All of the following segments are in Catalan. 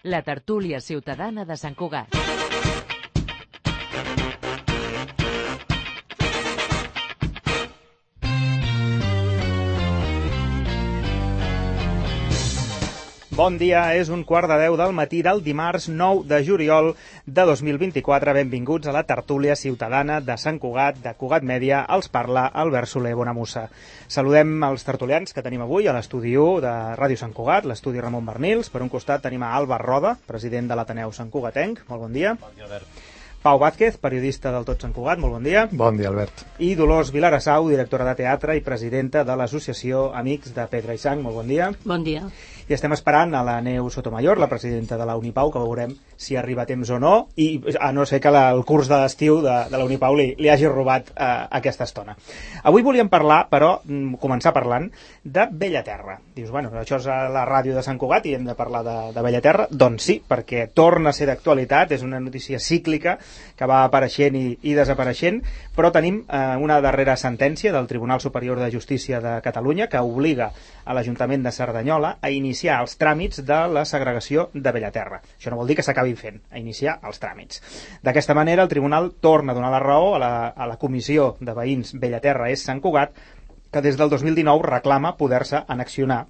La tertúlia ciutadana de Sant Cugat. Bon dia, és 1:15 del matí del dimarts 9 de juliol de 2024. Benvinguts a la tertúlia ciutadana de Sant Cugat, de Cugat Mèdia. Els parla Albert Soler Bonamussa. Saludem els tertulians que tenim avui a l'estudi 1 de Ràdio Sant Cugat, l'estudi Ramon Bernils. Per un costat tenim a Àlvar Roda, president de l'Ateneu Sant Cugatenc. Molt bon dia. Bon dia, Albert. Pau Vázquez, periodista del Tot Sant Cugat. Molt bon dia. Bon dia, Albert. I Dolors Vilarassau, directora de teatre i presidenta de l'associació Amics de Pedra i Sang. Molt bon dia. Bon dia. I estem esperant a la Neus Sotomayor, la presidenta de la Unipau, que veurem si arriba a temps o no, i a no ser que el curs de l'estiu de la Unipau li hagi robat aquesta estona. Avui volíem parlar, però, començar parlant de Bellaterra. Dius, bueno, això és a la ràdio de Sant Cugat i hem de parlar de Bellaterra. Doncs sí, perquè torna a ser d'actualitat, és una notícia cíclica que va apareixent i desapareixent, però tenim una darrera sentència del Tribunal Superior de Justícia de Catalunya que obliga a l'Ajuntament de Cerdanyola a iniciar els tràmits de la segregació de Bellaterra. Això no vol dir que s'acabin fent, a iniciar els tràmits. D'aquesta manera, el Tribunal torna a donar la raó a la Comissió de Veïns Bellaterra és Sant Cugat, que des del 2019 reclama poder-se annexionar,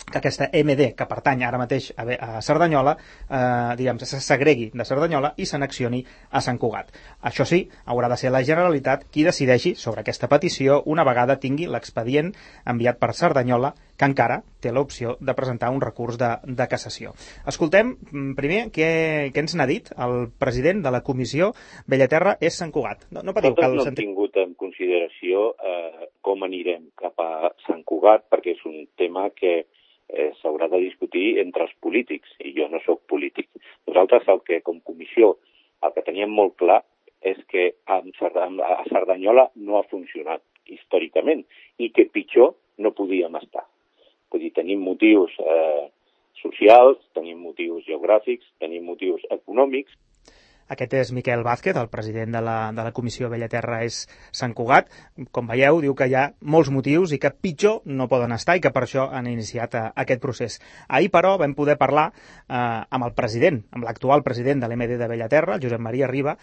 que aquesta MD, que pertany ara mateix a Cerdanyola, se segregui de Cerdanyola i s'annexioni a Sant Cugat. Això sí, haurà de ser la Generalitat qui decideixi sobre aquesta petició una vegada tingui l'expedient enviat per Cerdanyola, que encara té l'opció de presentar un recurs de cassació. Escoltem primer què ens n'ha dit el president de la Comissió Bellaterra és Sant Cugat. No hem tingut en consideració com anirem cap a Sant Cugat, perquè és un tema que s'haurà de discutir entre els polítics, i jo no sóc polític. Nosaltres, com comissió, el que teníem molt clar és que a Cerdanyola no ha funcionat històricament i que pitjor no podíem estar. Vull dir, tenim motius socials, tenim motius geogràfics, tenim motius econòmics. Aquest és Miquel Vázquez, el president de la Comissió Bellaterra és Sant Cugat. Com veieu, diu que hi ha molts motius i que pitjor no poden estar i que per això han iniciat aquest procés. Ahir, però, vam poder parlar amb el president, amb l'actual president de l'MD de Bellaterra, el Josep Maria Riba.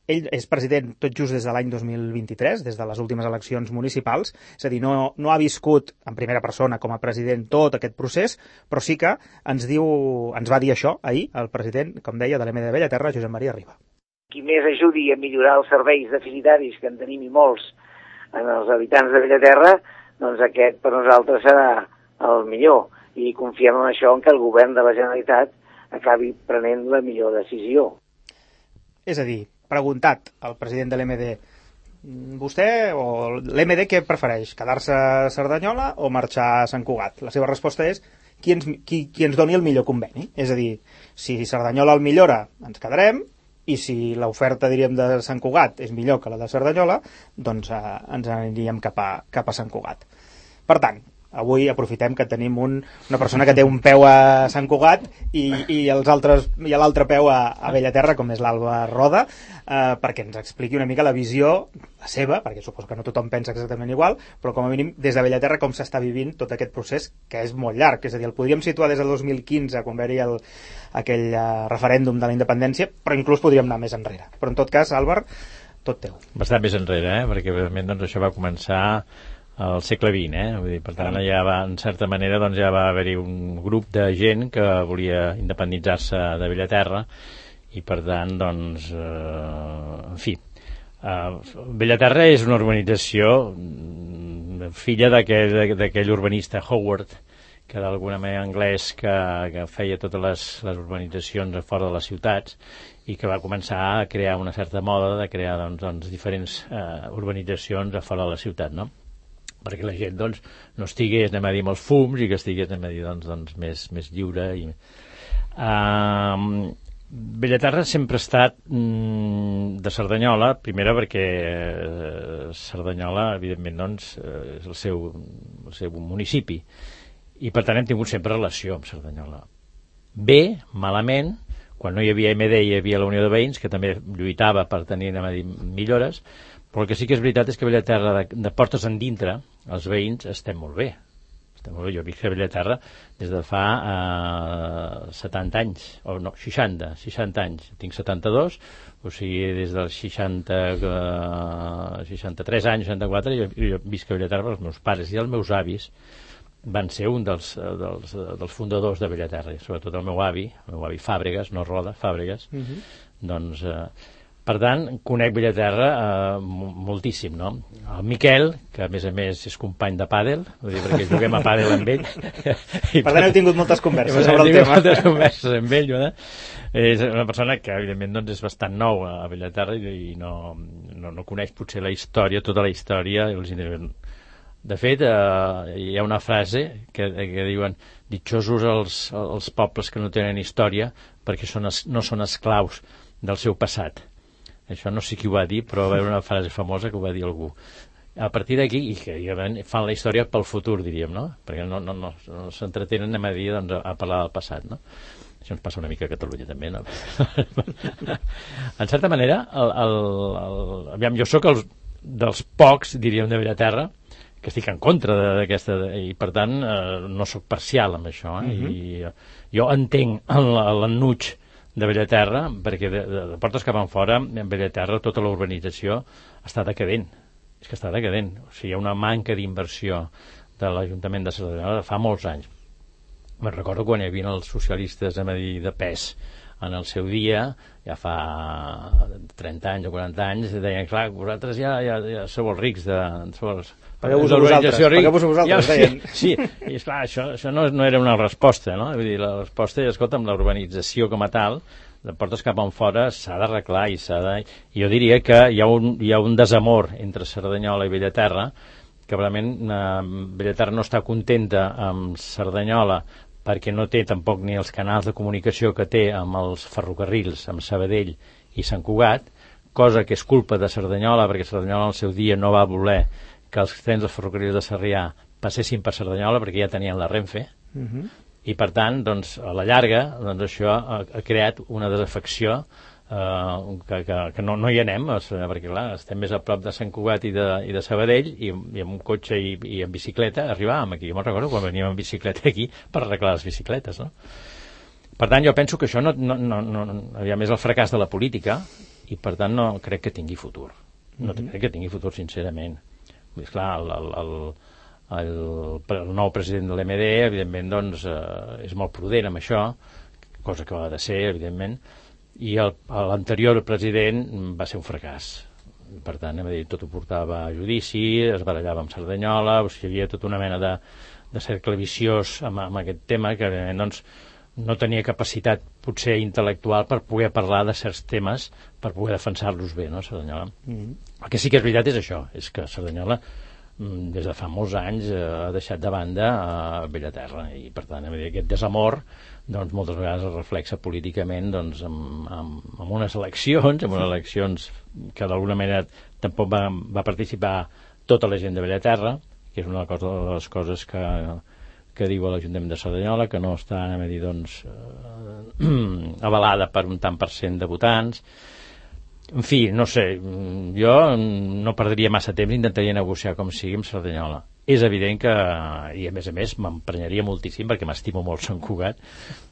Ell és president tot just des de l'any 2023, des de les últimes eleccions municipals, és a dir, no ha viscut en primera persona com a president tot aquest procés, però sí que ens va dir això ahir el president, com deia, de l'MD de Bellaterra, Josep Maria Riba. Qui més ajudi a millorar els serveis deficitaris, que en tenim i molts, en els habitants de Bellaterra, doncs aquest per nosaltres serà el millor. I confiem en això, en que el govern de la Generalitat acabi prenent la millor decisió. És a dir, preguntat al president de l'MD, vostè o l'MD què prefereix, quedar-se a Cerdanyola o marxar a Sant Cugat? La seva resposta és qui ens doni el millor conveni. És a dir, si Cerdanyola el millora, ens quedarem, i si l'oferta, diríem, de Sant Cugat és millor que la de Cerdanyola, doncs ens aniríem cap a Sant Cugat. Per tant, avui aprofitem que tenim una persona que té un peu a Sant Cugat i l'altre peu a Bellaterra, com és l'Àlvar Roda, perquè ens expliqui una mica la visió seva, perquè suposo que no tothom pensa exactament igual, però com a mínim des de Bellaterra com s'està vivint tot aquest procés, que és molt llarg. És a dir, el podríem situar des del 2015, quan va haver aquell referèndum de la independència, però inclús podríem anar més enrere. Però en tot cas, Àlvar, tot teu. Bastant més enrere, perquè realment doncs, això va començar al segle XX, Vull dir, per tant, ja va, en certa manera, doncs, ja va haver-hi un grup de gent que volia independitzar-se de Bellaterra i, per tant, doncs, en fi, Bellaterra és una urbanització filla d'aquell urbanista Howard, que d'alguna manera anglès que feia totes les urbanitzacions a fora de les ciutats i que va començar a crear una certa moda de crear doncs, diferents urbanitzacions a fora de la ciutat, no? Perquè la gent doncs, no estigués, anem a dir, amb els fums i que estigués, anem a dir, doncs, més lliure. Bellaterra sempre ha estat de Cerdanyola, primera perquè Cerdanyola, evidentment, doncs, és el seu municipi i per tant hem tingut sempre relació amb Cerdanyola. Bé, malament, quan no hi havia MD hi havia la Unió de Veïns, que també lluitava per tenir, anem a dir, millores, però el que sí que és veritat és que Bellaterra, de portes endintre, els veïns estem molt bé. Jo visc a Bellaterra des de fa 70 anys, o no, 60 anys. Tinc 72, o sigui, des dels 63 anys, 64, jo visc a Bellaterra, els meus pares i els meus avis van ser un dels fundadors de Bellaterra, sobretot el meu avi Fàbregas, no Roda, Fàbregas, doncs... Per tant, conec Bellaterra moltíssim, no? El Miquel, que a més és company de pàdel, vull dir, perquè juguem a pàdel amb ell. Per tant, heu tingut moltes converses sobre el tema. Moltes converses amb ell, no? És una persona que, evidentment, doncs, és bastant nou a Bellaterra i no coneix potser la història, tota la història. De fet, hi ha una frase que diuen ditxosos els pobles que no tenen història perquè no són esclaus del seu passat. Això no sé qui ho va dir, però va haver una frase famosa que ho va dir algú. A partir d'aquí, i que fan la història pel futur, diríem, no? Perquè no s'entretenen a dir, doncs, a parlar del passat, no? Això ens passa una mica a Catalunya, també, no? En certa manera, aviam, jo sóc dels pocs, diríem, de Bellaterra, que estic en contra d'aquesta... I, per tant, no sóc parcial amb això, I jo entenc l'ennuig de Bellaterra, perquè de portes cap enfora, en Bellaterra, tota la urbanització està decadent. És que està decadent. O sigui, hi ha una manca d'inversió de l'Ajuntament de Cerdanyola de fa molts anys. Me'n recordo quan hi havia els socialistes a Madrid de pes en el seu dia, ja fa 30 anys o 40 anys, deien, clar, vosaltres ja sou els rics pagueu-vos vosaltres, deien. Sí, i esclar, això no era una resposta, no? Vull dir, la resposta és, escolta'm, la urbanització com a tal, de portes cap enfora, s'ha d'arreglar i jo diria que hi ha un desamor entre Cerdanyola i Bellaterra, que realment Bellaterra no està contenta amb Cerdanyola perquè no té tampoc ni els canals de comunicació que té amb els ferrocarrils, amb Sabadell i Sant Cugat, cosa que és culpa de Cerdanyola, perquè Cerdanyola al seu dia no va voler que els trens dels ferrocarrils de Sarrià passessin per Cerdanyola perquè ja tenien la Renfe, i per tant, doncs, a la llarga, doncs, això ha creat una desafecció que no hi anem, perquè clar, estem més a prop de Sant Cugat i de Sabadell, i amb un cotxe i amb bicicleta arribàvem aquí. Jo me'n recordo quan veníem amb bicicleta aquí per arreglar les bicicletes, no? Per tant, jo penso que això és el fracàs de la política, i per tant no crec que tingui futur. No crec que tingui futur, sincerament. És clar, el nou president de l'MD, evidentment, doncs, és molt prudent amb això, cosa que ho ha de ser, evidentment, i l'anterior president va ser un fracàs. Per tant, tot ho portava a judici, es barallava amb Cerdanyola, o sigui, hi havia tota una mena de cercle viciós amb aquest tema, que doncs, no tenia capacitat potser intel·lectual per poder parlar de certs temes, per poder defensar-los bé, no, Cerdanyola? El que sí que és veritat és això, és que Cerdanyola des de fa molts anys ha deixat de banda a Bellaterra, i per tant aquest desamor doncs moltes vegades es reflexa políticament doncs, amb unes eleccions que d'alguna manera tampoc va participar tota la gent de Bellaterra, que és una de les coses que diu l'Ajuntament de Cerdanyola, que no està doncs, avalada per un tant per cent de votants. En fi, no sé, jo no perdria massa temps, intentaria negociar com sigui amb Cerdanyola. És evident que, i a més m'emprenyaria moltíssim, perquè m'estimo molt Sant Cugat,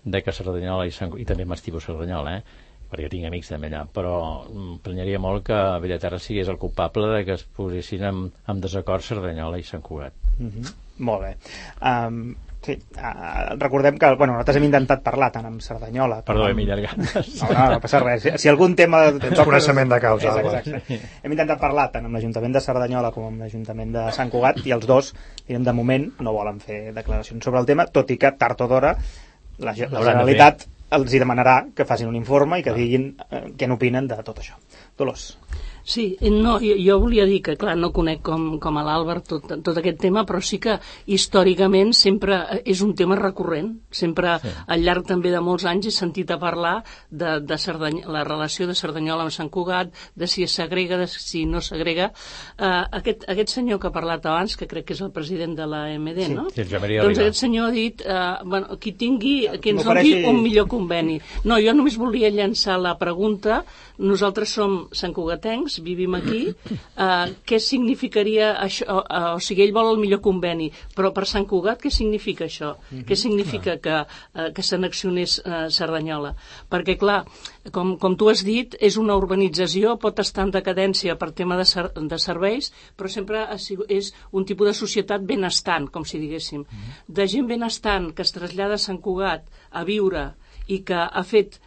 de que Cerdanyola i també m'estimo Cerdanyola, perquè tinc amics també allà, però m'emprenyaria molt que Bellaterra sigués el culpable de que es posessin en desacord Cerdanyola i Sant Cugat. Molt bé. Sí, recordem que nosaltres hem intentat parlar tant amb Cerdanyola... Perdó, hem allargat. No passa res. Si algun tema... Tens coneixement de causa. Exacte. Hem intentat parlar tant amb l'Ajuntament de Cerdanyola com amb l'Ajuntament de Sant Cugat, i els dos, de moment, no volen fer declaracions sobre el tema, tot i que tard o d'hora la Generalitat els hi demanarà que facin un informe i que diguin què n'opinen de tot això. Dolors. Sí, no, jo volia dir que, clar, no conec com a l'Àlvar tot aquest tema, però sí que històricament sempre és un tema recurrent. Sempre, al llarg també de molts anys, he sentit a parlar de la relació de Cerdanyola amb Sant Cugat, de si es segrega, de si no segrega. Aquest senyor que ha parlat abans, que crec que és el president de l'AMD, no? Sí, doncs aquest senyor ha dit que ens doni un millor conveni. No, jo només volia llançar la pregunta. Nosaltres som santcugatencs, vivim aquí, què significaria això? O sigui, ell vol el millor conveni, però per Sant Cugat què significa això? Què significa que s'annexionés Cerdanyola? Perquè, clar, com tu has dit, és una urbanització, pot estar en decadència per tema de serveis, però sempre és un tipus de societat benestant, com si diguéssim. De gent benestant que es trasllada a Sant Cugat a viure i que ha fet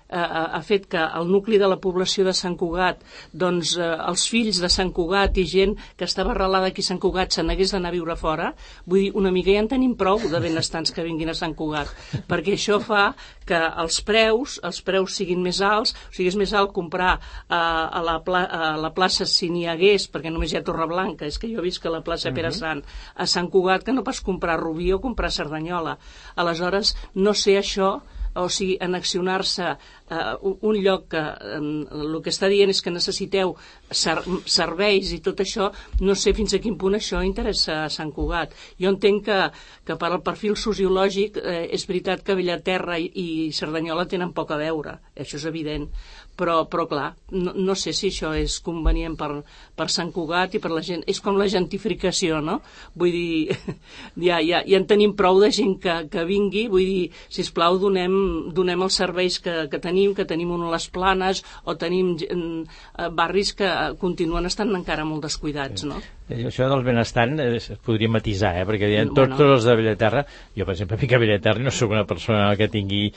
que el nucli de la població de Sant Cugat, doncs els fills de Sant Cugat i gent que estava arrelada aquí a Sant Cugat se n'hagués d'anar a viure fora, vull dir, una mica ja en tenim prou de benestants que vinguin a Sant Cugat, perquè això fa que els preus siguin més alts, o sigui, és més alt comprar a la plaça, si n'hi hagués, perquè només hi ha Torreblanca, és que jo visc a la plaça Pere Sant, a Sant Cugat, que no pas comprar Rubí o comprar Cerdanyola. Aleshores, no sé això, o sigui, annexionar-se un lloc que el que està dient és que necessiteu serveis i tot això, no sé fins a quin punt això interessa a Sant Cugat. Jo entenc que per al perfil sociològic és veritat que Bellaterra i Cerdanyola tenen poc a veure, això és evident, però clar, no sé si això és convenient per Sant Cugat i per la gent. És com la gentrificació, no? Vull dir, ja en tenim prou de gent que vingui, vull dir, sisplau, donem els serveis que tenim a les Planes, o tenim barris que continuen estant encara molt descuidats, no? Això del benestant es podria matisar, perquè tots els de Bellaterra, jo per exemple vinc a Bellaterra i no soc una persona que tingui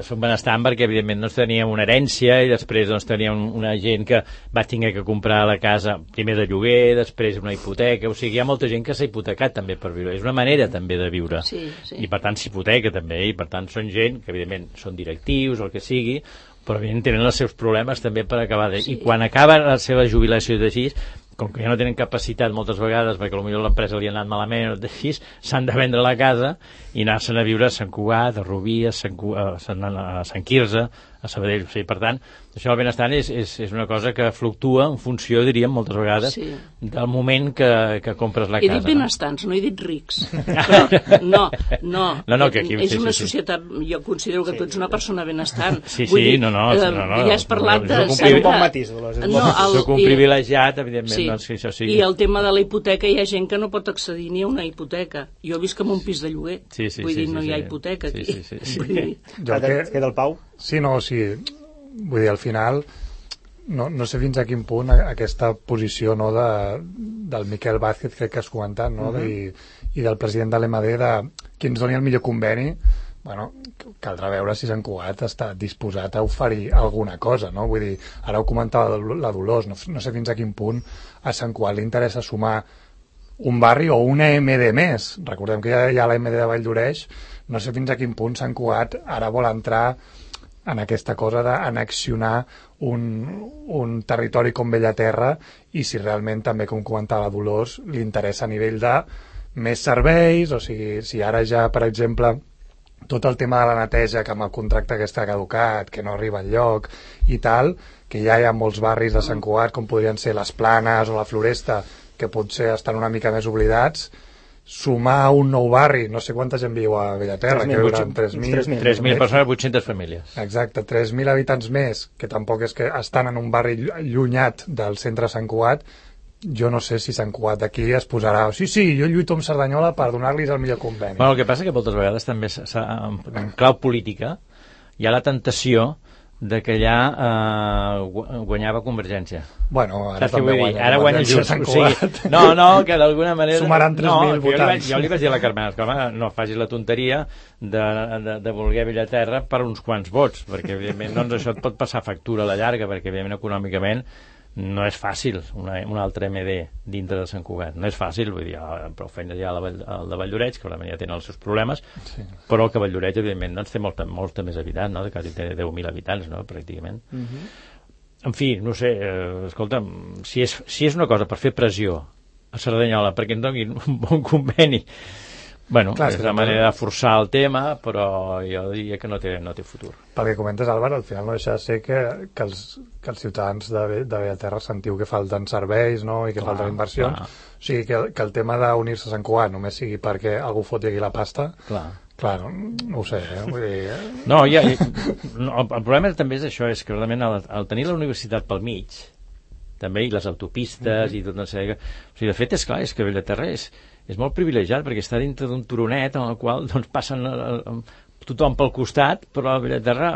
soc benestant, perquè evidentment doncs teníem una herència i després doncs teníem una gent que va tenir que comprar la casa primer de lloguer, després una hipoteca, o sigui, hi ha molta gent que s'ha hipotecat també per viure, és una manera també de viure, i per tant s'hipoteca també, i per tant són gent que evidentment són directius o el que sigui, però evidentment tenen els seus problemes també per acabar i quan acaba la seva jubilació d'així, com que ja no tenen capacitat moltes vegades perquè potser l'empresa li ha anat malament o així, s'han de vendre la casa i anar-se'n a viure a Sant Cugat, a Rubí, a Sant Quirze, a Sabadell. O sigui, per tant, això del benestant és una cosa que fluctua en funció, diríem, moltes vegades, del moment que compres la casa. He dit benestants, no he dit rics. Però no, que aquí, és una societat, jo considero que tu ets una persona benestant. No. Ja has parlat de... És un bon matís, Dolors. Soc un privilegiat, evidentment, doncs que això sigui... I el tema de la hipoteca, hi ha gent que no pot accedir ni a una hipoteca. Jo visc en un pis de lloguer. Vull dir, no hi ha hipoteca aquí. Queda el Pau? Sí, vull dir, al final no sé fins a quin punt aquesta posició del Miquel Vázquez, crec que has comentat, no? I del president de l'EMD, qui ens doni el millor conveni. Bueno, caldrà veure si Sant Cugat està disposat a oferir alguna cosa, no? Vull dir, ara ho comentava la Dolors, no sé fins a quin punt a Sant Cugat li interessa sumar un barri o una EMD més. Recordem que hi ha la EMD de Valldoreix, no sé fins a quin punt Sant Cugat ara vol entrar en aquesta cosa d'annexionar un territori com Bellaterra i si realment també, com comentava la Dolors, li interessa a nivell de més serveis, o sigui, si ara ja, per exemple, tot el tema de la neteja, que amb el contracte que està caducat, que no arriba enlloc i tal, que ja hi ha molts barris de Sant Cugat, com podrien ser les Planes o la Floresta, que potser estan una mica més oblidats, sumar un nou barri, no sé quanta gent viu a Bellaterra, que viuran 3.000 persones, 800 famílies. Exacte, 3.000 habitants més, que tampoc és que estan en un barri allunyat del centre de Sant Cugat. Jo no sé si Sant Cugat d'aquí es posarà sí, jo lluito amb Cerdanyola per donar-los el millor conveni. Bueno, el que passa que moltes vegades també en clau política hi ha la tentació de que allà guanyava Convergència. Bueno, ara també guanya Junts. Que d'alguna manera... Sumaran 3.000 votants. Jo li vaig dir a la Carmena, no facis la tonteria de voler Bellaterra per uns quants vots, perquè evidentment doncs, això et pot passar factura a la llarga, perquè evidentment econòmicament no és fàcil un altre MD dintre de Sant Cugat, no és fàcil, vull dir, prou feina ja el de Valldoreix, que ja tenen els seus problemes, però que Valldoreix evidentment doncs, té molta més habitants, no? Quasi té 10.000 habitants, no? Pràcticament. En fi, no sé, escolta'm, si és una cosa per fer pressió a Cerdanyola perquè en donin un bon conveni, bueno, és una manera de forçar el tema, però jo diria que no té futur. Pel que comentes, Álvaro, al final no deixa de ser que els ciutadans de Bellaterra sentiu que falten serveis, no?, i que falten inversions. O sigui, que el tema d'unir-se a Sant Cugat només sigui perquè algú foti aquí la pasta, clar, no ho sé, vull dir... No, el problema també és això, és que realment al tenir la universitat pel mig, també, i les autopistes i tot una sèrie. O sigui, de fet, és clar, és que Bellaterra és molt privilegiat perquè està dintre d'un turonet en el qual doncs, passen tothom pel costat, però Bellaterra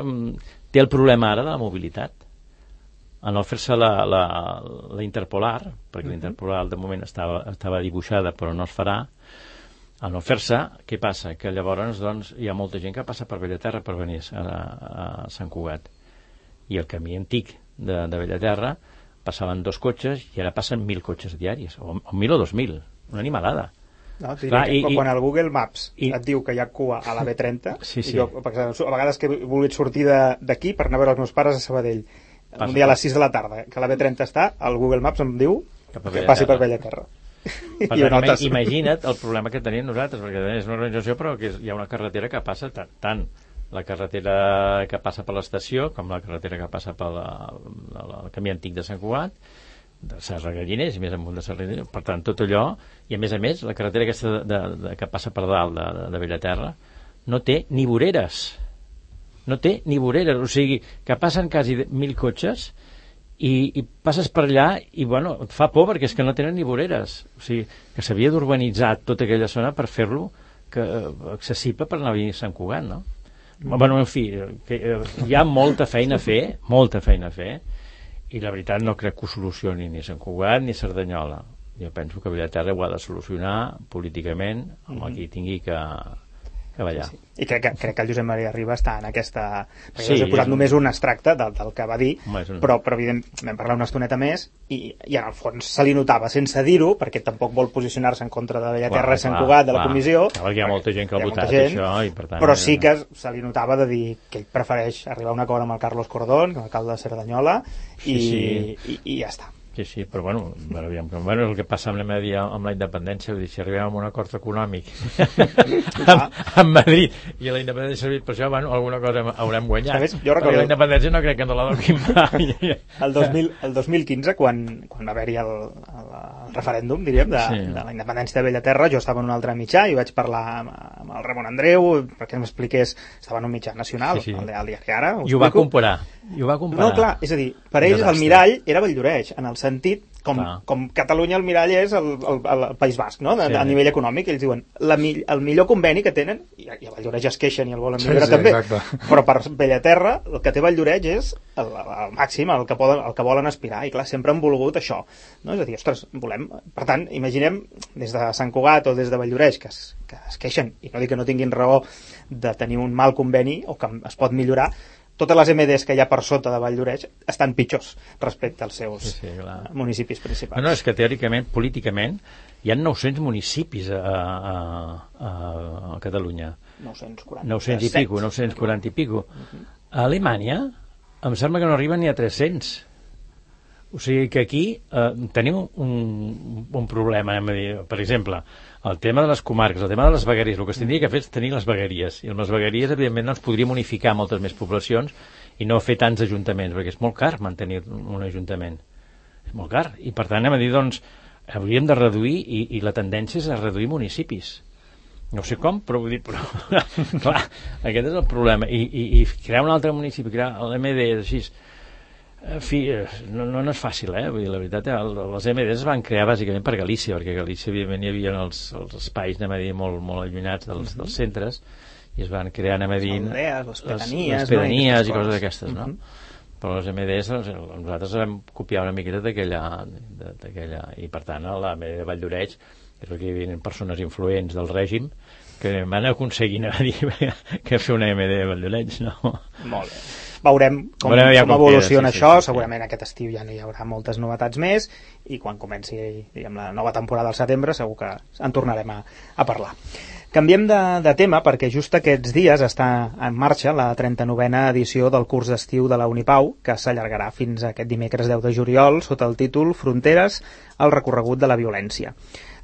té el problema ara de la mobilitat. A no fer-se la interpolar, perquè la interpolar de moment estava dibuixada però no es farà, a no fer-se, què passa? Que llavors doncs, hi ha molta gent que passa per Bellaterra per venir a Sant Cugat. I el camí antic de Bellaterra passaven 2 cotxes i ara passen 1.000 cotxes diaris, o 1.000 o 2.000, una animalada. No, quan el Google Maps et diu que hi ha cua a la B30, sí. I jo, perquè a vegades que he volgut sortir d'aquí per anar a veure els meus pares a Sabadell, un dia a les 6 de la tarda, que la B30 està, el Google Maps em diu que passi per Bellaterra. Per tant, imagina't el problema que tenim nosaltres, perquè és una organització però que hi ha una carretera que passa tant la carretera que passa per l'estació com la carretera que passa pel camí antic de Sant Cugat, de Serra Galliners i més amunt de Serra Galliners, per tant tot allò, i a més la carretera aquesta que passa per dalt de Bellaterra no té ni voreres, o sigui que passen quasi 1.000 cotxes i passes per allà i bueno, et fa por perquè és que no tenen ni voreres, o sigui que s'havia d'urbanitzar tota aquella zona per fer-lo accessible per anar a Sant Cugat, no? Bueno, en fi, hi ha molta feina a fer i la veritat no crec que ho solucioni ni Sant Cugat ni Cerdanyola. Jo penso que Bellaterra ho ha de solucionar políticament amb el que tingui que ballar. Sí. I crec que el Josep Maria Riba està en aquesta... Perquè us he posat només un extracte del que va dir, però evidentment vam parlar una estoneta més i en el fons se li notava, sense dir-ho, perquè tampoc vol posicionar-se en contra de Bellaterra i Sant Cugat de la comissió. Hi ha molta gent que ha votat això i per tant... Però sí que se li notava de dir que ell prefereix arribar a un acord amb el Carlos Cordón, com a alcalde de Cerdanyola, i ja està. Sí, però bueno, el que passa amb la independència, vull dir, si arribem a un acord econòmic amb Madrid i la independència ha servit per això, bueno, alguna cosa haurem guanyat. Perquè la independència no crec que no la donin mai. El 2015, quan va haver-hi el referèndum, diríem, de la independència de Bellaterra, jo estava en un altre mitjà i vaig parlar amb el Ramon Andreu perquè m'expliqués, estava en un mitjà nacional, el Diari Ara. I ho va comparar. No, clar, és a dir, per ells el mirall era Valldoreix, en el sentit com Catalunya el mirall és el País Basc, no? A nivell econòmic, ells diuen el millor conveni que tenen, i a Valldoreix es queixen i el volen millorar també, però per Bellaterra el que té Valldoreix és el màxim, el que volen aspirar, i clar, sempre han volgut això, no? És a dir, ostres, volem... Per tant, imaginem des de Sant Cugat o des de Valldoreix que es queixen, i no dic que no tinguin raó de tenir un mal conveni o que es pot millorar, totes les MDs que hi ha per sota de Valldoreix estan pitjors respecte als seus municipis principals. No, és que teòricament, políticament, hi ha 900 municipis a Catalunya. 940 i pico. A Alemanya em sembla que no arriben ni a 300. O sigui que aquí tenim un problema, per exemple, el tema de les comarques, el tema de les vegueries, el que es tindria que fer és tenir les vegueries, i amb les vegueries evidentment no ens podríem unificar moltes més poblacions i no fer tants ajuntaments, perquè és molt car mantenir un ajuntament, és molt car, i per tant anem a dir, doncs, hauríem de reduir, i la tendència és a reduir municipis, no sé com, però vull dir, clar, aquest és el problema, i crear un altre municipi, crear l'MD així, en fi, no és fàcil, vull dir, la veritat, les MDs es van crear bàsicament per Galícia, perquè a Galícia evidentment hi havia els espais, anem a dir, molt allunyats dels centres, i es van crear, anem a dir, les pedanies i coses d'aquestes, no? Però les MDs, nosaltres vam copiar una miqueta d'aquella, i per tant, a la MD de Valldoreix, és perquè hi havia persones influents del règim que van aconseguir, anem a dir, que fer una MD de Valldoreix, no? Molt bé. Veurem com evoluciona això, segurament aquest estiu ja no hi haurà moltes novetats més i quan comenci la nova temporada al setembre segur que en tornarem a parlar. Canviem de tema perquè just aquests dies està en marxa la 39a edició del curs d'estiu de la Unipau, que s'allargarà fins a aquest dimecres 10 de juliol sota el títol Fronteres al recorregut de la violència.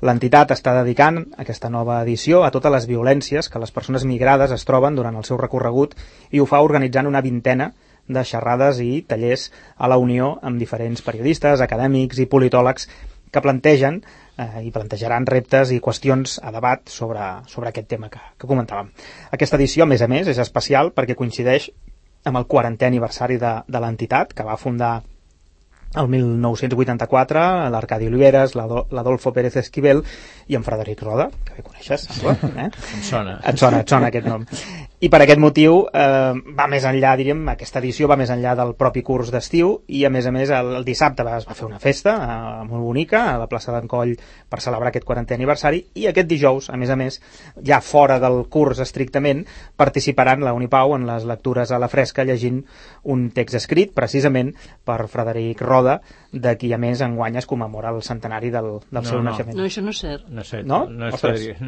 L'entitat està dedicant aquesta nova edició a totes les violències que les persones migrades es troben durant el seu recorregut i ho fa organitzant una vintena de xerrades i tallers a la Unió amb diferents periodistes, acadèmics i politòlegs que plantegen i plantejaran reptes i qüestions a debat sobre aquest tema que comentàvem. Aquesta edició, a més, és especial perquè coincideix amb el 40è aniversari de l'entitat, que va fundar el 1984, l'Arcadi Oliveres, l'Adolfo Pérez Esquivel i en Frederic Roda, que bé coneixes, sembla, Em sona. Et sona aquest nom. I per aquest motiu va més enllà, diríem, aquesta edició va més enllà del propi curs d'estiu i a més el dissabte es va fer una festa molt bonica a la plaça d'en Coll per celebrar aquest 40è aniversari i aquest dijous, a més, ja fora del curs estrictament, participaran la Unipau en les lectures a la fresca llegint un text escrit precisament per Frederic Roda, de qui a més enguany es commemora el centenari del seu naixement. No, això no és cert. No? Ostres.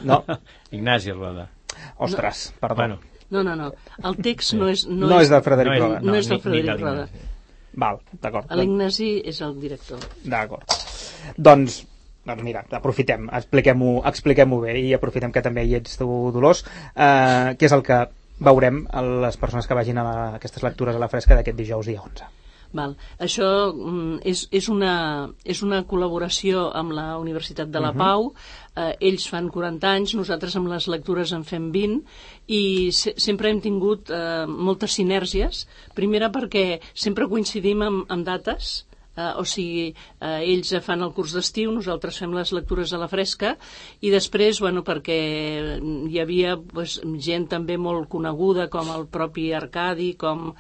No. Ignasi Roda. Ostres, perdó. Bueno. No. El text no és de Frederic Roda. No és de Frederic Roda. Val, d'acord. L'Ignasi és el director. D'acord. Doncs mira, aprofitem, expliquem-ho bé i aprofitem que també hi ets tu, Dolors, que és el que veurem a les persones que vagin a aquestes lectures a la fresca d'aquest dijous dia 11. Val. Això és una col·laboració amb la Universitat de la Pau. Ells fan 40 anys, nosaltres amb les lectures en fem 20 i sempre hem tingut moltes sinèrgies. Primera perquè sempre coincidim amb dates, o sigui, ells fan el curs d'estiu, nosaltres fem les lectures a la fresca i després, perquè hi havia gent també molt coneguda com el propi Arcadi, com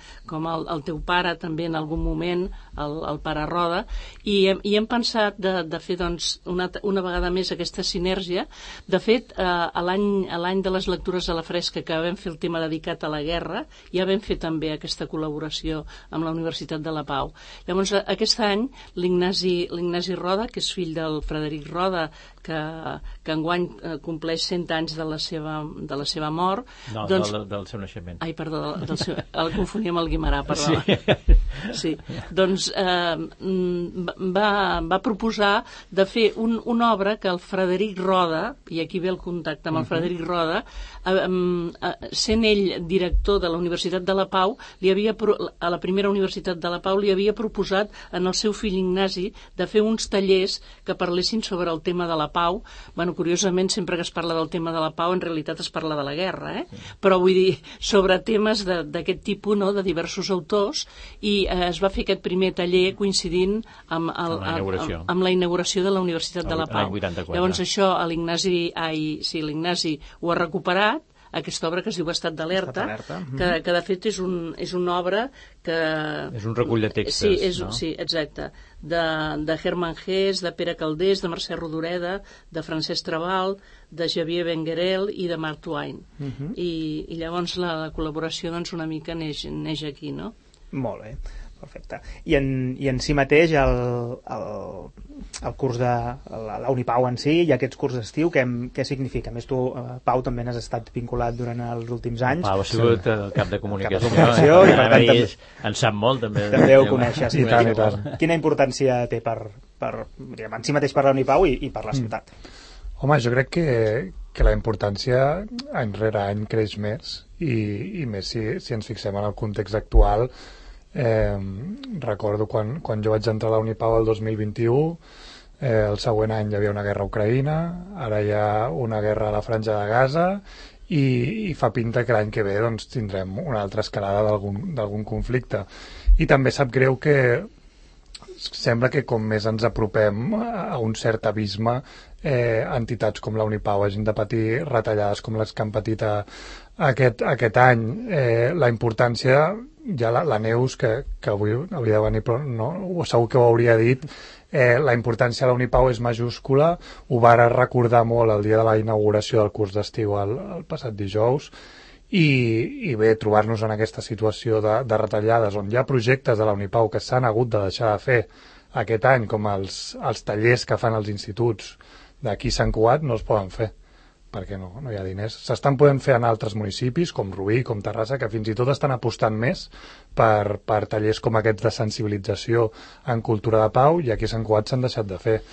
el teu pare també en algun moment, el pare Roda, i hem pensat de fer una vegada més aquesta sinèrgia. De fet, a l'any de les lectures a la fresca, que vam fer el tema dedicat a la guerra, ja vam fer també aquesta col·laboració amb la Universitat de la Pau. Llavors, aquest any l'Ignasi Roda, que és fill del Frederic Roda, que enguany compleix 100 anys de la seva mort. No, del seu naixement. Ai, perdó, el confonia amb el Guimarà, perdó. Sí. Doncs va proposar de fer una obra que el Frederic Roda, i aquí ve el contacte amb el Frederic Roda, sent ell director de la Universitat de la Pau, a la primera Universitat de la Pau li havia proposat en el seu fill Ignasi de fer uns tallers que parlessin sobre el tema de la pau. Curiosament, sempre que es parla del tema de la pau, en realitat es parla de la guerra, però vull dir, sobre temes d'aquest tipus, de diversos autors, i es va fer aquest primer taller coincidint amb la inauguració de la Universitat de la Pau. Llavors això l'Ignasi ho ha recuperat, aquesta obra que es diu Estat d'Alerta, que de fet és una obra que... És un recull de textos, no? Sí, exacte. De Hermann Hesse, de Pere Calders, de Mercè Rodoreda, de Francesc Trabal, de Xavier Benguerel i de Mark Twain. I llavors la col·laboració una mica neix aquí, no? Molt bé. Perfecte. I en si mateix el curs de la Unipau en si i aquests curs d'estiu, què significa? A més, tu, Pau, també n'has estat vinculat durant els últims anys. Pau ha sigut el cap de comunicació. I per tant, en sap molt, també. També ho coneixes. I tant. Quina importància té en si mateix per la Unipau i per la ciutat? Home, jo crec que la importància any rere any creix més i més si ens fixem en el context actual. Recordo quan jo vaig entrar a la Unipau el 2021, el següent any hi havia una guerra a Ucraïna, ara hi ha una guerra a la Franja de Gaza i fa pinta que l'any que ve tindrem una altra escalada d'algun conflicte. I també sap greu que sembla que com més ens apropem a un cert abisme, entitats com la Unipau hagin de patir retallades com les que han patit aquest any. La importància, ja la Neus, que avui hauria de venir, però no, segur que ho hauria dit, la importància de la Unipau és majúscula, ho va recordar molt el dia de la inauguració del curs d'estiu el passat dijous, i bé, trobar-nos en aquesta situació de retallades on hi ha projectes de la Unipau que s'han hagut de deixar de fer aquest any, com els tallers que fan els instituts d'aquí Sant Cugat, no es poden fer perquè no hi ha diners. S'estan podent fer en altres municipis, com Rubí, com Terrassa, que fins i tot estan apostant més per tallers com aquests de sensibilització en cultura de pau, i aquí a Sant Cugat s'han deixat de fer.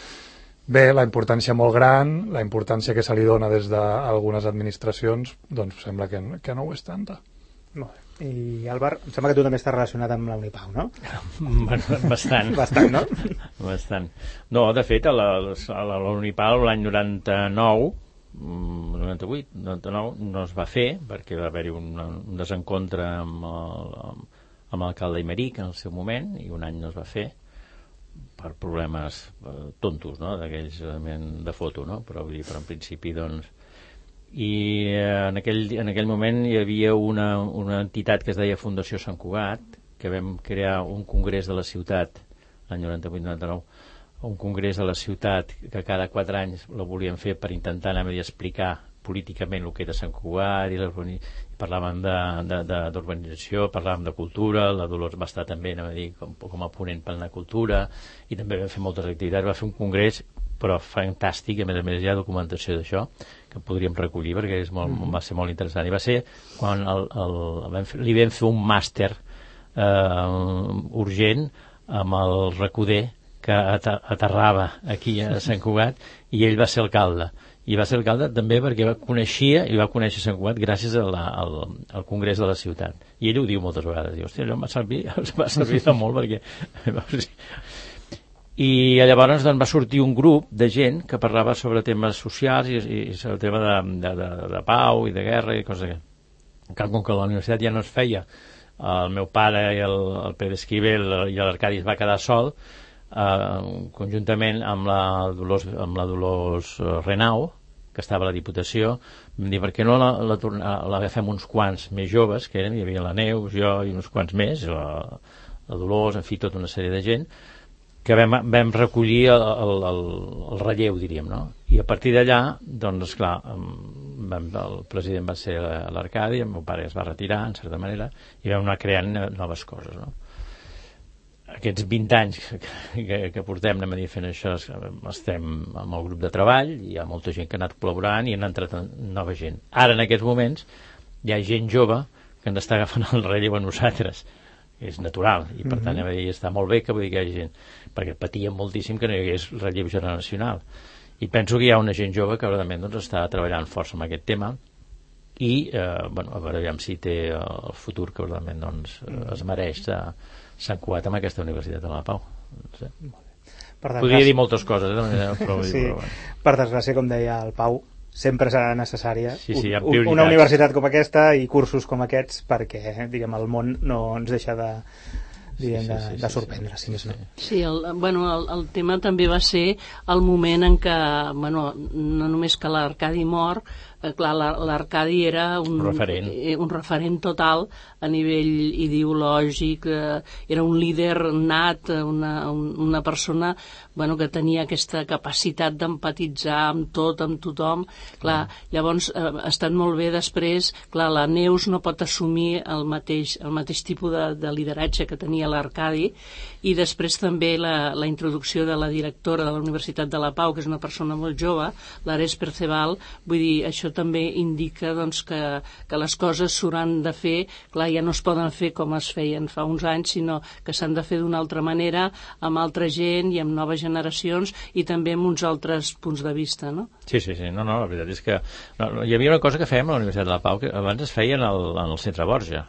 Bé, la importància molt gran, la importància que se li dona des d'algunes administracions, doncs sembla que no ho és tanta. Molt bé. I Álvar, em sembla que tu també estàs relacionat amb la Unipau, no? Bastant. Bastant, no? Bastant. No, de fet, a la Unipau l'any 99 no es va fer perquè va haver-hi un desencontre amb l'alcalde Imeric en el seu moment i un any no es va fer per problemes tontos, no? D'aquells de foto, no? Però en principi, doncs... I en aquell moment hi havia una entitat que es deia Fundació Sant Cugat, que vam crear un congrés de la ciutat l'any 98-99, un congrés de la ciutat que cada 4 anys la volíem fer per intentar anar a explicar políticament el que era Sant Cugat, i parlàvem d'urbanització, parlàvem de cultura, la Dolors va estar també com a ponent per la cultura, i també vam fer moltes activitats. Va fer un congrés però fantàstic, a més hi ha documentació d'això que podríem recollir perquè va ser molt interessant, i va ser quan li vam fer un màster urgent amb el Recoder, que aterrava aquí a Sant Cugat, i ell va ser alcalde. I va ser alcalde també perquè va conèixer Sant Cugat gràcies al Congrés de la Ciutat. I ell ho diu moltes vegades. Diu, hòstia, allò em va servir de molt perquè... I llavors va sortir un grup de gent que parlava sobre temes socials i sobre el tema de pau i de guerra i coses d'aquestes. Com que la universitat ja no es feia, el meu pare i el Pere Esquivel i l'Arcadi es va quedar sol, conjuntament amb la Dolors Renau, que estava a la Diputació, vam dir, per què no l'agafem uns quants més joves, que hi havia la Neus, jo i uns quants més, la Dolors, en fi, tota una sèrie de gent, que vam recollir el relleu, diríem, no? I a partir d'allà, doncs, esclar, el president va ser l'Arcadi, el meu pare es va retirar, en certa manera, i vam anar creant noves coses, no? Aquests 20 anys que portem anem a dir fent això, estem amb el grup de treball, hi ha molta gent que ha anat col·laborant i han entrat nova gent. Ara, en aquests moments, hi ha gent jove que ens està agafant el relleu a nosaltres. És natural, i per tant està molt bé que vull dir que hi hagi gent, perquè patíem moltíssim que no hi hagués relleu generacional, i penso que hi ha una gent jove que realment està treballant força amb aquest tema i a veure si té el futur que realment es mereix Sant Cugat amb aquesta Universitat de la Pau. No sé. Podria dir moltes coses, però per desgràcia, com deia el Pau, sempre serà necessària una universitat com aquesta i cursos com aquests perquè, diguem, el món no ens deixa de sorprendre, si més no. Sí, el tema també va ser el moment en què, no només que l'Arcadi mor, clar, l'Arcadi era un referent total a nivell ideològic, era un líder nat, una persona que tenia aquesta capacitat d'empatitzar amb tot, amb tothom. Clar, llavors ha estat molt bé després, clar, la Neus no pot assumir el mateix tipus de lideratge que tenia l'Arcadi, i després també la introducció de la directora de la Universitat de la Pau, que és una persona molt jove, l'Ares Perceval. Vull dir, això també indica que les coses s'hauran de fer, clar, ja no es poden fer com es feien fa uns anys, sinó que s'han de fer d'una altra manera, amb altra gent i amb noves generacions, i també amb uns altres punts de vista, no? Sí, no, la veritat és que hi havia una cosa que fèiem a la Universitat de la Pau que abans es feia en el Centre Borja.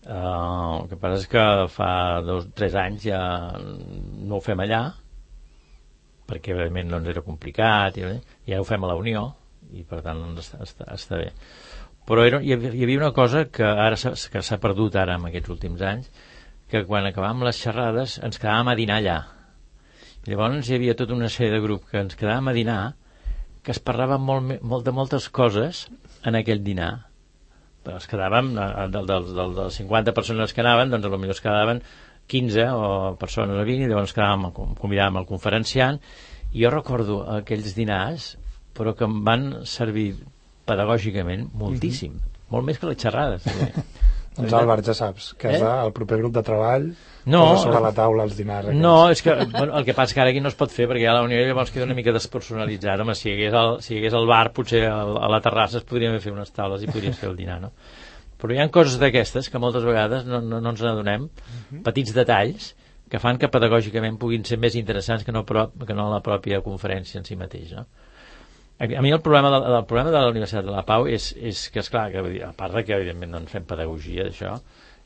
El que passa és que fa 2 o 3 anys ja no ho fem allà, perquè evidentment no ens era complicat, i ja ho fem a la Unió, i per tant està bé. Però hi havia una cosa que ara s'ha perdut ara en aquests últims anys, que quan acabàvem les xerrades ens quedàvem a dinar allà. I llavors hi havia tota una sèrie de grup que ens quedàvem a dinar, que es parlaven molt de moltes coses en aquell dinar. Però es quedàvem, dels 50 persones que anaven, doncs potser es quedaven 15 o persones a 20, i llavors convidàvem el conferenciant, i jo recordo aquells dinars, però que em van servir pedagògicament moltíssim, molt més que les xerrades. Doncs Àlvar, ja saps que el proper grup de treball posa sobre la taula els dinars. No, és que el que passa que ara aquí no es pot fer, perquè a la Unió llavors queda una mica despersonalitzat. Home, si hi hagués el bar, potser a la terrassa es podrien fer unes taules i podries fer el dinar, no? Però hi ha coses d'aquestes que moltes vegades no ens n'adonem, petits detalls que fan que pedagògicament puguin ser més interessants que no la pròpia conferència en si mateix, no? A mi el problema de la Universitat de la Pau és que, esclar, a part que evidentment no en fem pedagogia d'això,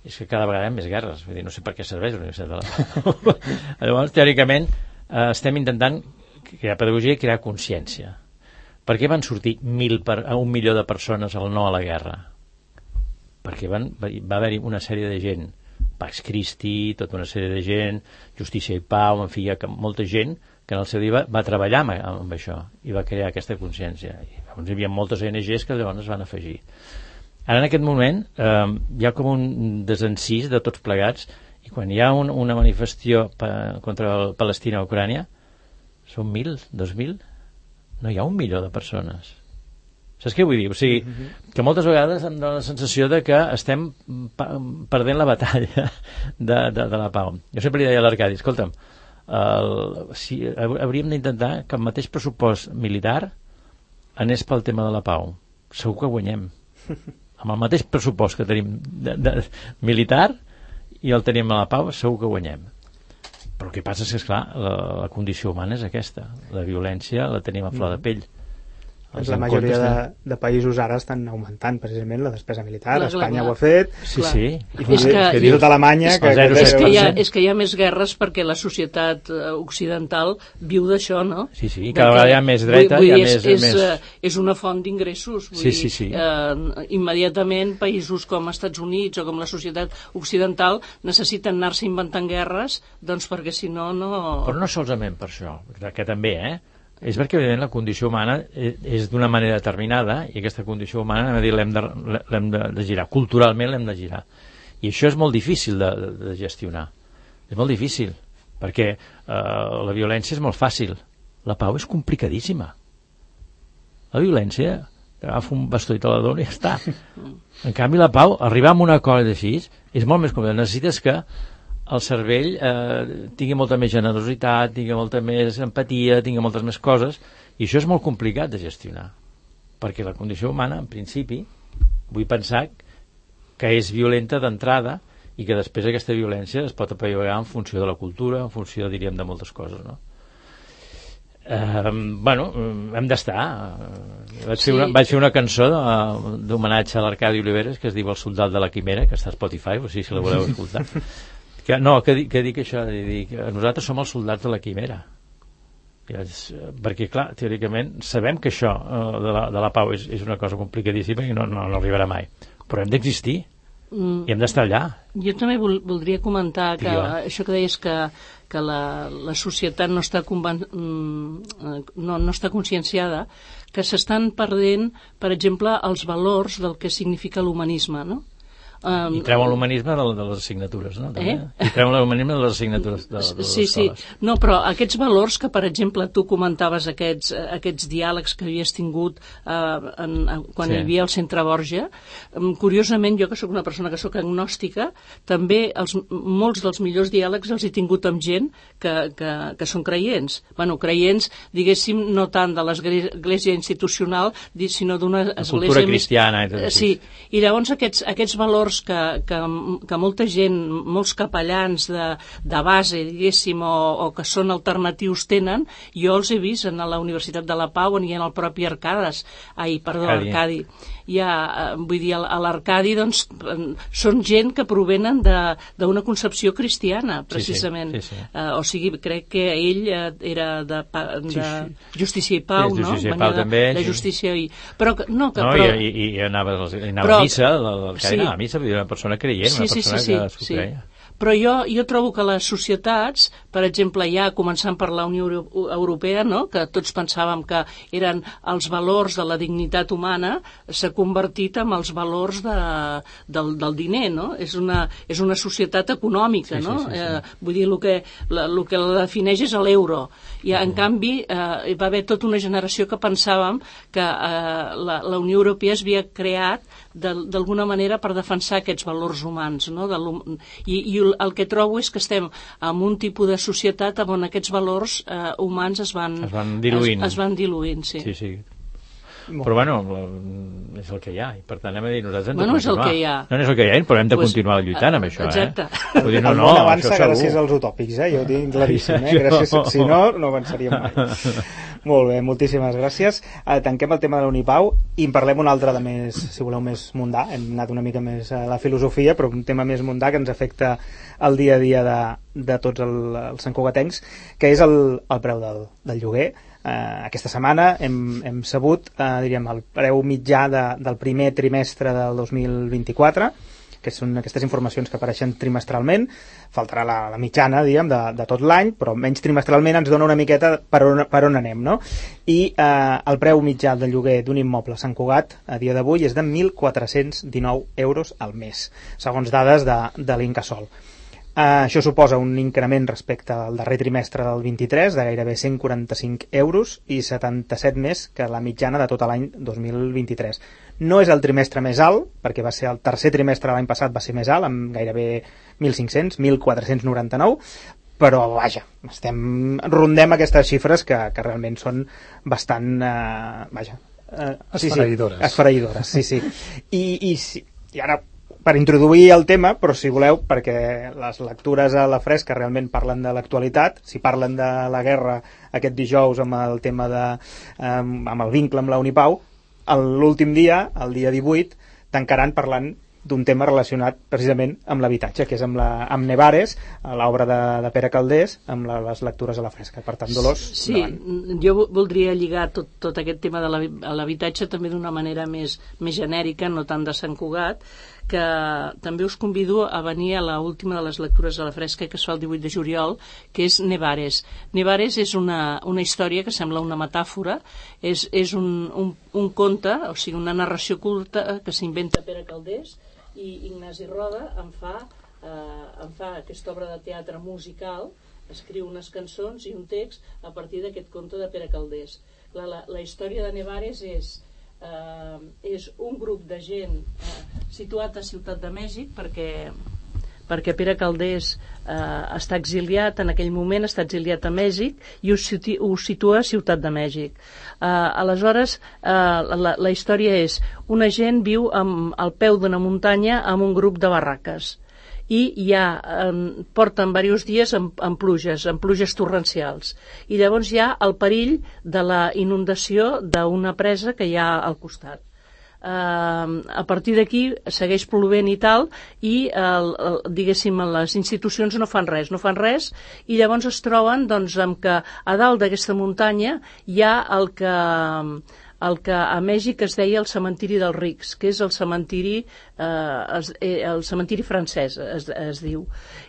és que cada vegada hi ha més guerres. Vull dir, no sé per què serveix la Universitat de la Pau. Llavors, teòricament, estem intentant crear pedagogia i crear consciència. Per què van sortir 1 milió de persones al no a la guerra? Perquè va haver-hi una sèrie de gent Pax Christi, tota una sèrie de gent, Justícia i Pau, en fi, hi ha molta gent que en el seu dia va treballar amb això i va crear aquesta consciència. I llavors hi havia moltes ONGs que llavors es van afegir. Ara, en aquest moment, hi ha com un desencís de tots plegats, i quan hi ha una manifestació contra Palestina o Ucrània, són 1.000, 2.000, no hi ha 1 milió de persones. Saps què vull dir? O sigui, que moltes vegades em dóna la sensació de que estem perdent la batalla de la pau. Jo sempre li deia a l'Arcadi, escolta'm, hauríem d'intentar que el mateix pressupost militar anés pel tema de la pau. Segur que guanyem. Amb el mateix pressupost que tenim militar i el tenim a la pau, segur que guanyem. Però el que passa és que, esclar, la condició humana és aquesta. La violència la tenim a flor de pell. La majoria de països ara estan augmentant precisament la despesa militar. Espanya ho ha fet. Sí. I fins i tot Alemanya... És que hi ha més guerres perquè la societat occidental viu d'això, no? Sí, cada vegada hi ha més dreta, hi ha més... És una font d'ingressos. Sí. Immediatament països com els Estats Units o com la societat occidental necessiten anar-se inventant guerres, doncs perquè si no... Però no solament per això, que també, és perquè evidentment la condició humana és d'una manera determinada i aquesta condició humana l'hem de girar, culturalment l'hem de girar, i això és molt difícil de gestionar, és molt difícil perquè la violència és molt fàcil, la pau és complicadíssima. La violència agafa un bastó i te la dona i ja està. En canvi la pau, arribar a un acord així és molt més complicat. Necessites que el cervell tingui molta més generositat, tingui molta més empatia, tingui moltes més coses, i això és molt complicat de gestionar, perquè la condició humana, en principi, vull pensar que és violenta d'entrada i que després aquesta violència es pot apaivagar en funció de la cultura, en funció, diríem, de moltes coses, no? Hem d'estar. Vaig fer una cançó d'homenatge a l'Arcadi Oliveres que es diu El soldat de la quimera, que està a Spotify, o sigui, si la voleu escoltar. Que dic això, nosaltres som els soldats de la quimera, perquè clar, teòricament sabem que això de la pau és una cosa complicadíssima i no arribarà mai, però hem d'existir i hem d'estar allà. Jo també voldria comentar que això que deies que la societat no està no està conscienciada, que s'estan perdent, per exemple, els valors del que significa l'humanisme, no? I treuen l'humanisme de les assignatures, no? I treuen l'humanisme de les assignatures de les escoles. Sí. No, però aquests valors que, per exemple, tu comentaves aquests diàlegs que havies tingut quan hi havia el Centre Borja, curiosament, jo que sóc una persona que sóc agnòstica, també molts dels millors diàlegs els he tingut amb gent que són creients. Creients, diguéssim, no tant de l'església institucional, sinó d'una església... Cultura cristiana. Sí, i llavors aquests valors que molta gent, molts capellans de base, diguéssim, o que són alternatius tenen, jo els he vist a la Universitat de la Pau i en el propi Arcadi. Vull dir, a l'Arcadi, doncs, són gent que provenen d'una concepció cristiana, precisament. Sí. O sigui, crec que ell era de Justícia i Pau, no? Justícia i Pau també. De Justícia i... I anava a missa, l'Arcadi anava a missa, una persona creient, una persona que s'ho creia. Però jo trobo que les societats, per exemple, ja començant per la Unió Europea, no? Que tots pensàvem que eren els valors de la dignitat humana, s'ha convertit en els valors del diner, no? És una societat econòmica, no? Vull dir, el que la defineix és l'euro. I, en canvi, hi va haver tota una generació que pensàvem que la Unió Europea es havia creat d'alguna manera per defensar aquests valors humans, no? I el que trobo és que estem en un tipus de societat on aquests valors humans es van diluint. Sí. Però és el que hi ha, i per tant hem de dir nosaltres hem de continuar. És el que hi ha. No és el que hi ha, però hem de continuar lluitant amb això. Exacte. Vull dir, el món avança gràcies als utòpics, jo ho tinc claríssim, si no avançaríem mai. Molt bé, moltíssimes gràcies. Tanquem el tema de l'Unipau i en parlem un altre de més, si voleu, més mundà. Hem anat una mica més a la filosofia, però un tema més mundà que ens afecta el dia a dia de tots els santcugatencs, que és el preu del lloguer. Aquesta setmana hem sabut, diríem, el preu mitjà del primer trimestre del 2024 que són aquestes informacions que apareixen trimestralment. Faltarà la mitjana, diguem, de tot l'any, però menys trimestralment ens dona una miqueta per on anem, no? I el preu mitjà de lloguer d'un immoble a Sant Cugat a dia d'avui és de 1.419 euros al mes, segons dades de l'Incasòl. Això suposa un increment respecte al darrer trimestre del 23 de gairebé 145 euros i 77 més que la mitjana de tot l'any 2023. No és el trimestre més alt, perquè va ser el tercer trimestre de l'any passat va ser més alt, amb gairebé 1.500, 1.499, però vaja, rondem aquestes xifres que realment són bastant, esfereïdores, sí. I ara, per introduir el tema, però si voleu, perquè les lectures a la fresca realment parlen de l'actualitat, si parlen de la guerra aquest dijous amb el tema amb el vincle amb la Unipau, l'últim dia, el dia 18, tancaran parlant d'un tema relacionat precisament amb l'habitatge, que és amb Nevares, l'obra de Pere Calders, amb les lectures a la fresca. Per tant, Dolors, sí, endavant. Jo voldria lligar tot aquest tema de l'habitatge també d'una manera més genèrica, no tant de Sant Cugat, que també us convido a venir a l'última de les lectures a la fresca que es fa el 18 de juliol, que és Nevares. Nevares és una història que sembla una metàfora, és un conte, o sigui, una narració curta que s'inventa Pere Calders, i Ignasi Roda en fa aquesta obra de teatre musical, escriu unes cançons i un text a partir d'aquest conte de Pere Calders. La història de Nevares és un grup de gent situat a Ciutat de Mèxic perquè Pere Calders està exiliat, en aquell moment està exiliat a Mèxic i ho situa a Ciutat de Mèxic. Aleshores, la història és una gent viu al peu d'una muntanya amb un grup de barraques i porten diversos dies amb pluges torrencials, i llavors hi ha el perill de la inundació d'una presa que hi ha al costat. A partir d'aquí segueix plovent i tal, i diguéssim les institucions no fan res, i llavors es troben amb que a dalt d'aquesta muntanya hi ha el que a Mèxic es deia el cementiri dels rics, que és el cementiri francès, es diu.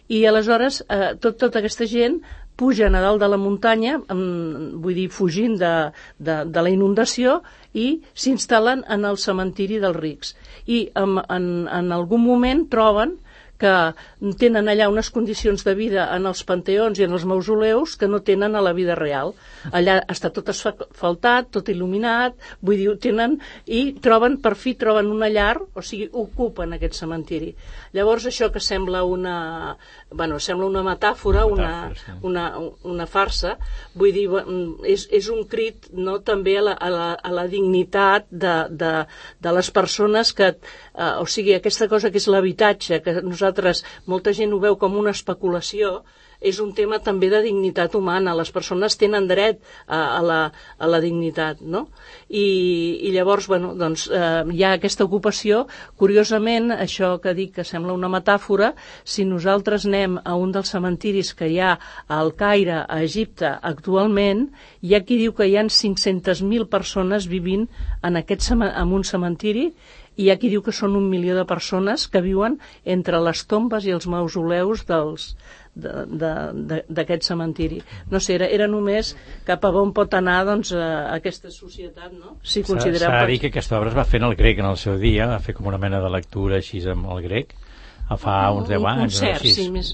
I aleshores tota aquesta gent pugen a dalt de la muntanya, vull dir, fugint de la inundació, i s'instal·len en el cementiri dels rics. I en algun moment troben que tenen allà unes condicions de vida en els panteons i en els mausoleus que no tenen a la vida real. Allà està tot asfaltat, tot il·luminat, vull dir, per fi troben una llar, o sigui, ocupen aquest cementiri. Llavors això que sembla una metàfora, una farsa, vull dir, és un crit, no, també a la dignitat de les persones que, o sigui, aquesta cosa que és l'habitatge, que molta gent ho veu com una especulació, és un tema també de dignitat humana. Les persones tenen dret a la dignitat, no? I llavors, hi ha aquesta ocupació. Curiosament, això que dic que sembla una metàfora, si nosaltres anem a un dels cementiris que hi ha al Caire, a Egipte, actualment, hi ha qui diu que hi ha 500.000 persones vivint en un cementiri, i hi ha qui diu que són 1 milió de persones que viuen entre les tombes i els mausoleus d'aquest cementiri. No sé, era només cap a on pot anar aquesta societat, no? Si considerem... S'ha de dir que aquesta obra es va fer en el grec en el seu dia, va fer com una mena de lectura així amb el grec, fa uns 10 anys. Un concert,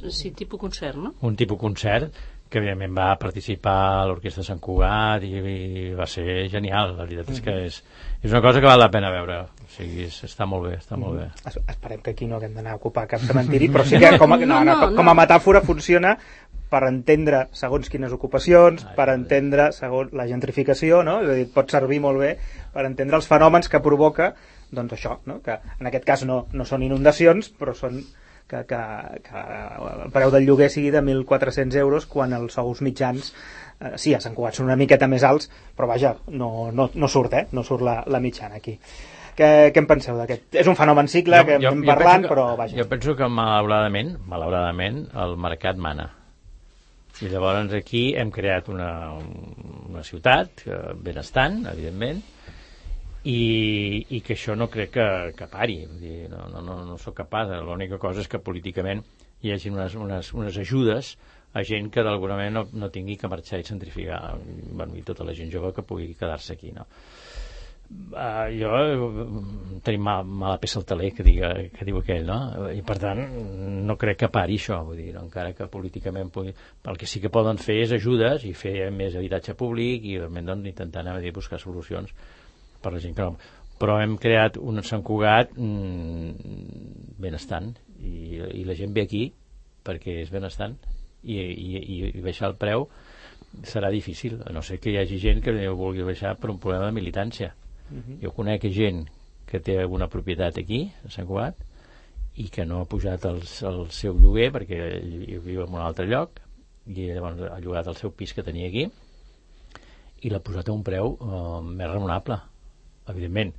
sí, tipus concert, no? Un tipus concert, que evidentment va participar a l'Orquestra de Sant Cugat i va ser genial. La veritat és que és una cosa que val la pena veure. O sigui, està molt bé, està molt bé. Esperem que aquí no haguem d'anar a ocupar cap cementiri, però sí que com a metàfora funciona per entendre segons quines ocupacions, per entendre segons la gentrificació, no? És a dir, pot servir molt bé per entendre els fenòmens que provoca, doncs això, no? Que en aquest cas no són inundacions, però són que el preu del lloguer sigui de 1.400 euros quan els sous mitjans sí, a Sant Cugat són una miqueta més alts, però vaja, no surt la mitjana aquí. Què en penseu d'aquest? És un fenomen cicle que hem parlant, però vaja. Jo penso que malauradament el mercat mana, i llavors aquí hem creat una ciutat benestant, evidentment, i que això no crec que pari. Vull dir, no sóc capaç. L'única cosa és que políticament hi hagi unes ajudes a gent que d'alguna manera no tingui que marxar i centrificar, i tota la gent jove que pugui quedar-se aquí, no? Tenim mala peça al taler, que diu aquell, no? I per tant no crec que pari això, vull dir, encara que políticament el que sí que poden fer és ajudes i fer més habitatge públic i realment doncs, intentar anar a buscar solucions per la gent que no. Però hem creat un Sant Cugat benestant i la gent ve aquí perquè és benestant i baixar el preu serà difícil, a no ser que hi hagi gent que ho vulgui baixar per un problema de militància. Jo conec gent que té alguna propietat aquí a Sant Cugat i que no ha pujat el seu lloguer perquè viu en un altre lloc i llavors ha llogat el seu pis que tenia aquí i l'ha posat a un preu més raonable, evidentment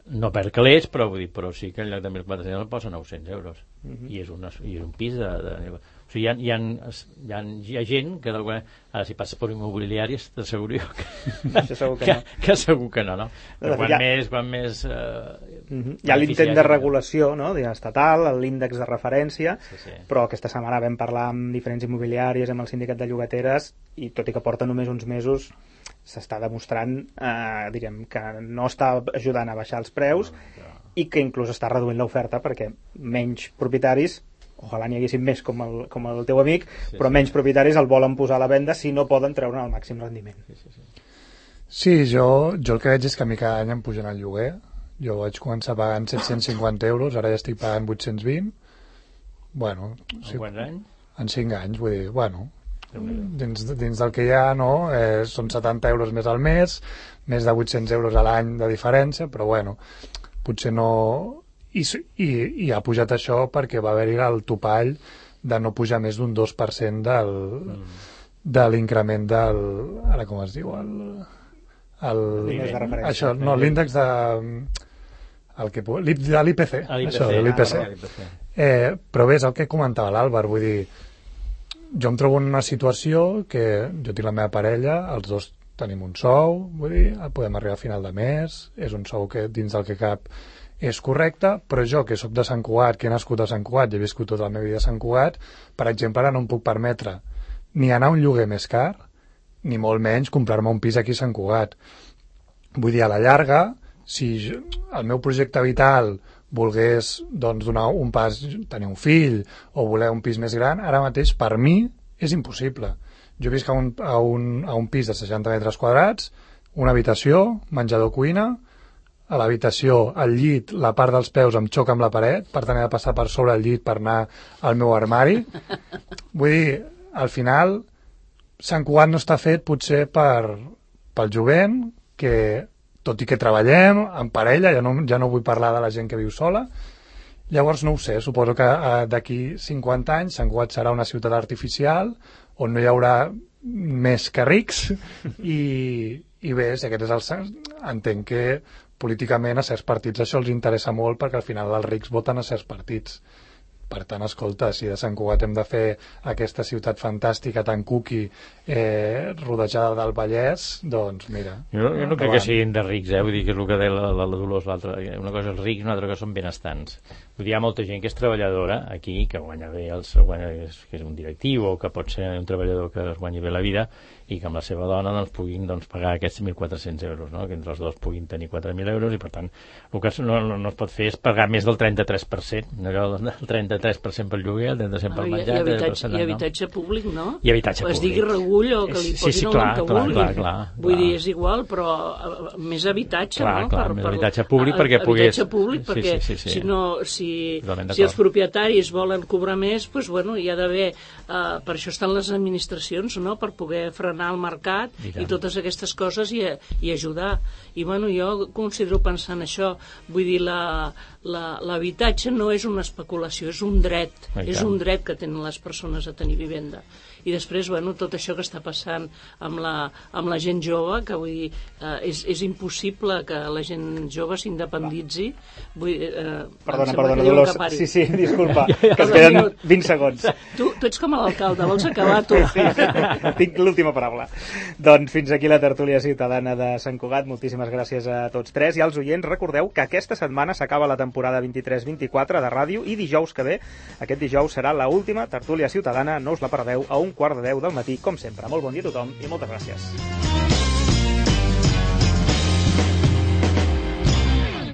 no per calés, però sí que en lloc de 1.400 el posa 900 euros i és un pis o sigui, hi ha gent que ara si passa per immobiliàries t'asseguro que segur que no. Quan més hi ha l'intent de regulació, no? Estatal, l'índex de referència, però aquesta setmana vam parlar amb diferents immobiliàries, amb el sindicat de llogateres, i tot i que porta només uns mesos s'està demostrant que no està ajudant a baixar els preus i que inclús està reduint l'oferta perquè menys propietaris, ojalà n'hi haguessin més com el teu amic, però menys propietaris el volen posar a la venda si no poden treure el màxim rendiment. Sí, jo el que veig és que a mi cada any em pugen el lloguer. Jo vaig començar pagant 750 euros, ara ja estic pagant 820. Bueno, en quants anys? En 5 anys, vull dir, bueno, dins del que hi ha, no? Són 70 euros més al mes, més de 800 euros a l'any de diferència, però bueno, potser no... I ha pujat això perquè va haver-hi el topall de no pujar més d'un 2% de l'increment del... Ara com es diu? L'índex de referència. Això, no, l'índex de... de l'IPC. Això, de l'IPC. Però bé, és el que comentava l'Àlvar, vull dir, jo em trobo en una situació que jo tinc la meva parella, els dos tenim un sou, vull dir, podem arribar a final de mes, és un sou que dins del que cap és correcte, però jo que sóc de Sant Cugat, que he nascut a Sant Cugat i he viscut tota la meva vida a Sant Cugat, per exemple, ara no em puc permetre ni anar a un lloguer més car, ni molt menys comprar-me un pis aquí a Sant Cugat. Vull dir, a la llarga, si el meu projecte vital volgués doncs, donar un pas, tenir un fill o voler un pis més gran, ara mateix per mi és impossible. Jo visc a un pis de 60 metres quadrats, una habitació, menjador, cuina, a l'habitació, al llit, la part dels peus em xoca amb la paret, per tant he de passar per sobre el llit per anar al meu armari. Vull dir, al final, Sant Cugat no està fet potser pel jovent, que tot i que treballem en parella, ja no vull parlar de la gent que viu sola. Llavors no ho sé, suposo que d'aquí 50 anys Sant Cugat serà una ciutat artificial on no hi haurà més que rics i bé, si aquest és el... entenc que políticament a certs partits això els interessa molt perquè al final els rics voten a certs partits. Per tant, escolta, si de Sant Cugat hem de fer aquesta ciutat fantàstica tan cuqui rodejada del Vallès, doncs mira. Jo no crec que siguin de rics, vull dir que és el que deia la Dolors, una cosa és rics, una altra cosa són benestants. Vull dir, hi ha molta gent que és treballadora aquí, que guanya bé, que és un directiu o que pot ser un treballador que es guanyi bé la vida i que amb la seva dona doncs, puguin pagar aquests 1.400 euros, no? Que entre els dos puguin tenir 4.000 euros i per tant el que no es pot fer és pagar més del 33%, el 33% pel lloguer, el 33% pel menjar, i habitatge públic, no? I habitatge públic. Es digui regull o que li posin el nom que vulguin. Clar. Vull dir, és igual, però més habitatge, no? Més habitatge públic perquè pogués... Habitatge públic perquè si els propietaris volen cobrar més, doncs bueno, hi ha d'haver... Per això estan les administracions, no? Per poder frenar el mercat i totes aquestes coses i ajudar. I bueno, jo considero pensar en això. Vull dir, l'habitatge no és una especulació, és un dret. És un dret que tenen les persones a tenir vivenda. i després, bueno, tot això que està passant amb la gent jove, que vull dir, és impossible que la gent jove s'independitzi. Perdona, Dolors. Sí, disculpa, que es queden 20 segons. Tu ets com l'alcalde, vols acabar tu? Sí, tinc l'última paraula. Doncs fins aquí la tertúlia ciutadana de Sant Cugat. Moltíssimes gràcies a tots tres i als oients. Recordeu que aquesta setmana s'acaba la temporada 23-24 de ràdio i dijous que ve, aquest dijous serà l'última tertúlia ciutadana, no us la perdeu, a 9:15 del matí, com sempre. Molt bon dia a tothom i moltes gràcies.